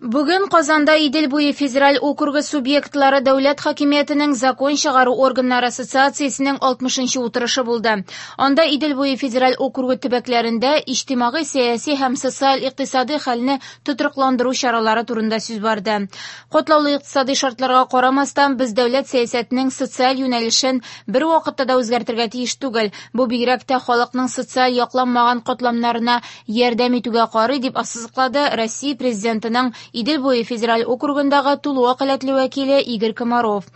Бүген Казанда Идел буе федераль округы субъектлары дәүләт хакимиятенең закон чыгару органнары ассоциациясенең 60-нчы утырышы булды. Анда Идел буе федераль округы төбәкләрендә иҗтимагый-сәяси һәм социаль-икътисадый хәлне тотрыкландыру чаралары турында сүз барды. Катлаулы икътисадый шартларга карамастан, без дәүләт сәясәтенең социаль юнәлешен бервакытта да үзгәртергә тиеш түгел. Бу бигрәк тә халыкның социаль якланмаган катламнарына ярдәм итүгә карый, дип ассызыклады Россия Президентының Идел буе федераль округындагы тулы вәкаләтле вәкиле Игорь Комаров.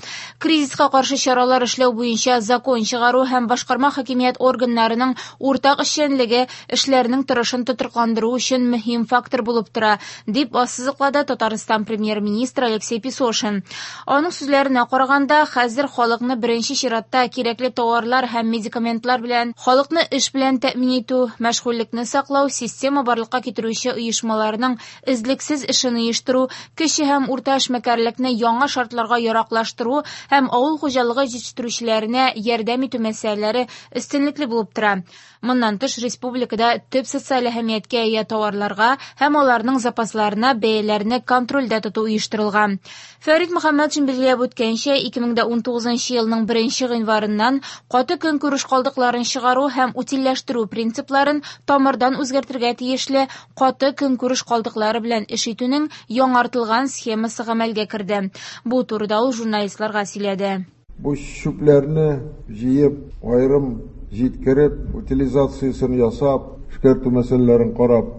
Кризиска каршы чаралар эшләү буенча закон чыгару һәм башкарма хакимият органнарының уртак эшчәнлеге эшләрнең торышын тотрыкландыру өчен мөһим фактор булып тора, дип ассызыклады Татарстан премьер-министры Алексей Песошин. Аның сүзләренә караганда, хәзер халыкны беренче чиратта кирәкле товарлар һәм медикаментлар белән, халыкны эш белән тәэмин итү, мәшгульлекне саклау, система барлыкка китерүче оешмаларның эзлексез эшен оештыру, кече һәм урта эшмәкәрлекне яңа шартларга яраклаштыру һәм авыл хуҗалыгы җитештерүчеләренә ярдәм итү мәсьәләләре өстенлекле булып тора. Моннан тыш, республикада төп социаль әһәмияткә ия товарларга һәм аларның запасларына бәяләрне контрольдә тоту оештырылган. Фәрит Мөхәммәтшин билгеләп үткәнчә, 2019 елның 1 гыйнварыннан каты көнкүреш калдыкларын чыгару һәм утильләштерү принципларын тамырдан үзгәртергә тиешле каты көнкүреш калдыклары белән эш итүнең яңартылган схемасы гамәлгә керде. Бу турыда ул журналистларга сөйләде. Бу чүпләрне җыеп, аерым җиткереп, утилизациясен ясап, эшкәртү мәсьәләләрен карап,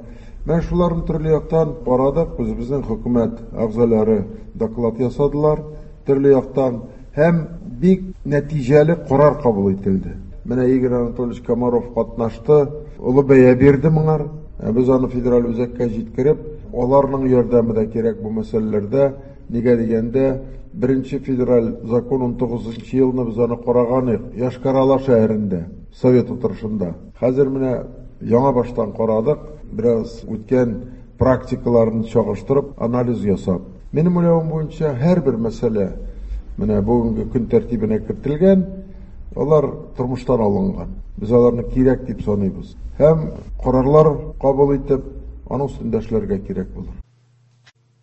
менә шуларны төрле яктан карадык. Үзебезнең хөкүмәт әгъзалары доклад ясадылар төрле яктан һәм бик нәтиҗәле карар кабул ителде. Менә Игорь Анатольевич Комаров катнашты, олы бәя бирде моңар. Без аны федераль үзәккә җиткереп, аларның ярдәме дә кирәк бу мәсьәләләрдә. Нигә дигәндә, беренче федераль закон 19 елны без аны караган идек Йошкар-Ола шәһәрендә, совет утырышында. Хәзер менә яңа баштан карадык, бераз үткән практикаларын чагыштырып, анализ ясап. Минем уйлавым буенча, һәрбер мәсьәлә менә бүгенге көн тәртибенә кертелгән, алар тормыштан алынган. Без аларны кирәк дип саныйбыз. Һәм карарлар кабул итеп, аның өстендә эшләргә кирәк булыр.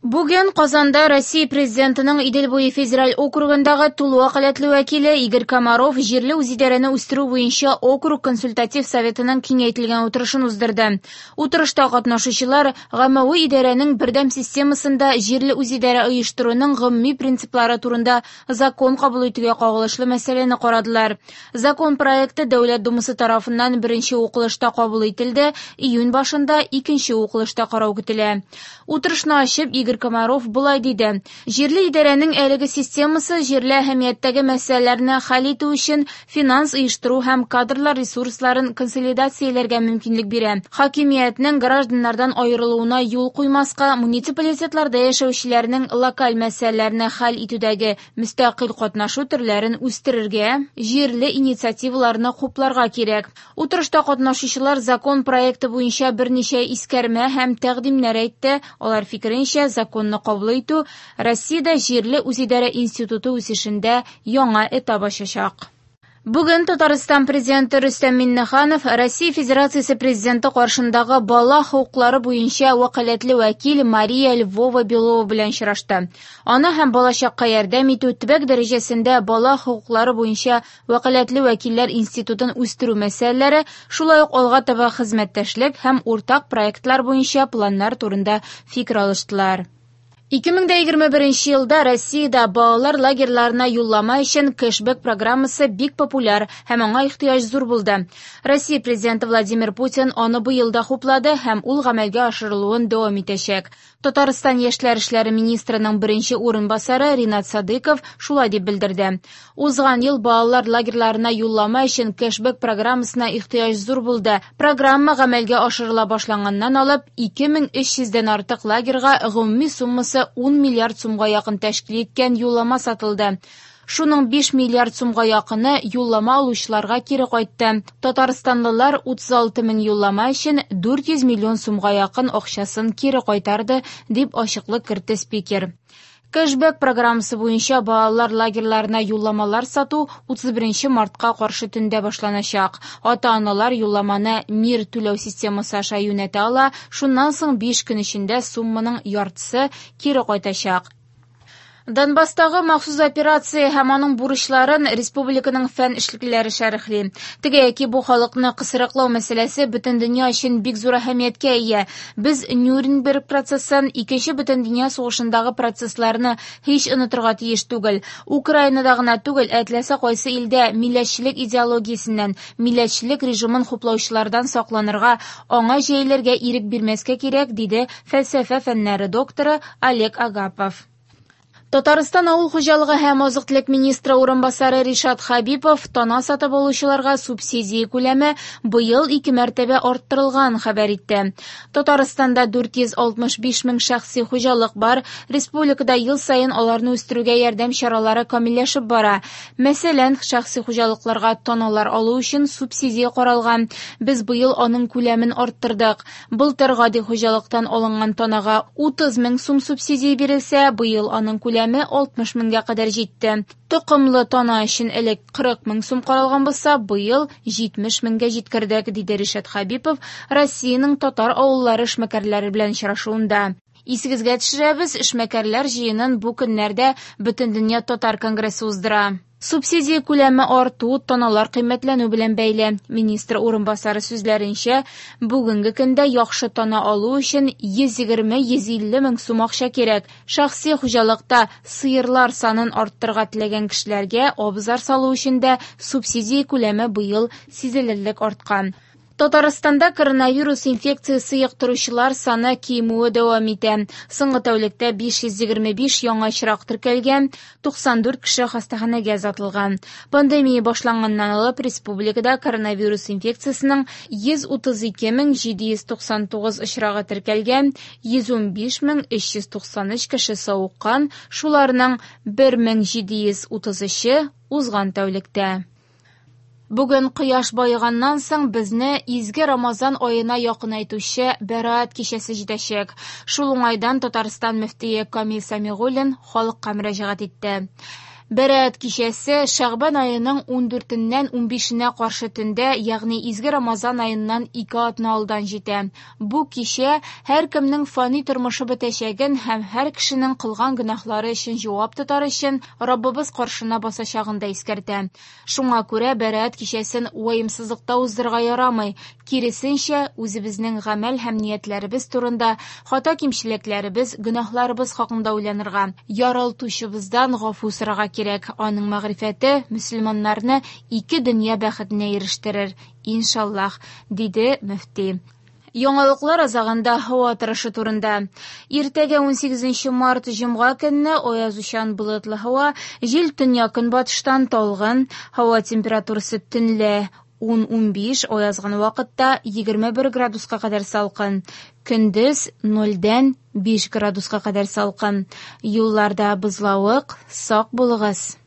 Бүген Казанда Россия Президентының Идел буе федераль округындагы тулы вәкаләтле вәкиле Игорь Комаров җирле үзидарәне үстерү буенча округ консультатив советының киңәйтелгән утырышын уздырды. Утырышта катнашучылар гаммәви идарәнең бердәм системасында җирле үзидарә оештыруның гомуми принциплары турында закон кабул итүгә кагылышлы мәсьәләне карадылар. Закон проекты Дәүләт Думасы тарафыннан беренче укылышта кабул ителде, июнь башында икенче укылышта карау көтелә. Утырышны ачып, Игорь Комаров болай диде: "Җирле идарәнең әлеге системасы җирле әһәмияттәге мәсьәләләрне хәл итү өчен финанс оештыру һәм кадрлар ресурсларын консолидацияләргә мөмкинлек бирә. Хакимиятнең гражданнардан аерылуына юл куймаска, муниципалитетларда яшәүчеләрнең локаль мәсьәләләрне хәл итүдәге мөстәкыйль катнашу төрләрен үстерергә, җирле инициативаларны хупларга кирәк". Утырышта катнашучылар закон проекты буенча берничә искәрмә һәм тәкъдимнәр әйтте. Алар фикеренчә, законны кабул итү Россиядә җирле үзидарә институты үсешендә яңа этап ачачак. Бүген Татарстан президенты Рөстәм Миңнеханов Россия Федерациясе президенты каршындагы бала хокуклары буенча вәкаләтле вәкил Мария Львова-Белова белән очрашты. Ана һәм балачакка ярдәм итү, төбәк дәрәҗәсендә бала хокуклары буенча вәкаләтле вәкилләр институтын үстерү мәсьәләләре, шулай ук алга таба хезмәттәшлек һәм уртак проектлар буенча планнар турында фикер алыштылар. 2021 елда Россиядә балалар лагерьларына юллама өчен кэшбэк программасы бик популяр һәм аңа ихтыяҗ зур булды. Россия президенты Владимир Путин аны быел да хуплады һәм ул гамәлгә ашырылуын дәвам итәчәк. Татарстан яшьләр эшләре министрының беренче урынбасары Ринат Садыков шулай дип белдерде. Узган ел балалар лагерьларына юллама өчен кэшбэк программасына ихтыяҗ зур булды. Программа гамәлгә ашырыла башланганнан алып 2300дән артык лагерьга гомуми суммасы 10 миллиард сумга якын тәшкил иткән юллама сатылды. Шуның 5 миллиард сумга якыны юллама алучыларга кире кайтты. Татарстанлылар 36 мең юллама өчен 400 миллион сумга якын акчасын кире кайтарды, дип ачыклык кертте спикер. Кэшбэк программасы буенча балалар лагерьларына юлламалар сату 31 мартка каршы төндә башланачак. Ата-аналар юлламаны Мир түләү системасы аша юнәтә ала, шуннан соң 5 көн эчендә сумманың яртысы кире кайтачак. Донбасстагы махсус операция һәм аның бурычларын республиканың фән эшлеклеләре шәрехли. Теге яки бу халыкны кысрыклау мәсьәләсе бөтен дөнья өчен бик зур әһәмияткә ия. Без Нюрнберг процессын, Икенче бөтендөнья сугышындагы процессларны һич онытырга тиеш түгел. Украинада гына түгел, ә теләсә кайсы илдә милләтчелек идеологиясеннән, милләтчелек режимын хуплаучылардан сакланырга, аңа җәелергә ирек бирмәскә кирәк, диде фәлсәфә фәннәре докторы Олег Агапов. Татарстан авыл хуҗалыгы һәм азык-төлек министры урынбасары Ришат Хәбипов тана сатып алучыларга субсидия күләме быел ике мәртәбә арттырылган хәбәр итте. Татарстанда 465 мең шәхси хуҗалык бар. Республикада ел саен аларны үстерүгә ярдәм чаралары камилләшеп бара. Мәсәлән, шәхси хуҗалыкларга таналар алу өчен субсидия каралган. Без быел аның күләмен арттырдык. Былтыр гади хуҗалыктан алынган танага 30 мең сум субсидия бирелсә, быел аның күләме 60 меңгә кадәр җитте. Токымлы тана өчен элек 40 мең сум каралган булса, быел 70 меңгә җиткердек, диде Ришат Хәбипов Россиянең татар авыллары эшмәкәрләре белән очрашуында. Исегезгә төшерәбез, эшмәкәрләр җыенын бу көннәрдә Бөтендөнья татар конгрессы уздыра. Субсидия күләме арту таналар кыйммәтләнү белән бәйле. Министр урынбасары сүзләренчә, бүгенге көндә яхшы тана алу өчен 120-150 мең сум акча кирәк. Шәхси хуҗалыкта сыерлар санын арттырырга теләгән кешеләргә абзар салу өчен дә субсидия күләме быел сизелерлек арткан. Татарстанда коронавирус инфекциясе йоктыручылар саны кимүе дәвам итә. Соңгы тәүлектә 525 яңа очрак теркәлгән, 94 кеше хастаханәгә озатылган. Пандемия башланганнан алып республикада коронавирус инфекциясенең 132 799 очрагы теркәлгән, 115 393 кеше савыккан, шуларның 1733-е узган тәүлектә. Бүген кояш баеганнан соң безне изге Рамазан аена якынайтучы Бәраәт кичәсе җитәчәк. Шул уңайдан Татарстан мөфтие Камил Сәмигуллин халыкка мөрәҗәгать итте. Бәраәт кичәсе Шәгъбан аеның 14-ннән 15-нә каршы төндә, ягъни изге Рамазан аеннан 2 атна алдан җитә. Бу кичә һәркемнең фани тормышы бетәчәген һәм һәр кешенең кылган гөнаһлары өчен җавап тотар өчен Раббыбыз каршына басачагын да искәртә. Шуңа күрә Бәраәт кичәсен ваемсызлыкта уздырырга ярамый. Киресенчә, үзебезнең гамәл һәм ниятләребез турында, хата-кимчелекләребез, гөнаһларыбыз хакында уйланырга, яралтучыбыздан гафу сорарга кирәк. Аның мәгърифәте мөселманнарны ике дөнья бәхетенә ирештерер, иншаллаһ, диде мөфти. Яңалыклар азагында һава торышы турында. Иртәгә 18 март җомга көнне аязучан болытлы һава, җил төньяк-көнбатыштан талгын, һава температурасы төнлә 10-15, аязган вакытта 21 градуска кадәр салкын. Көндез 0-дән 5 градуска кадәр салкын. Юлларда бозлавык, сак булыгыз.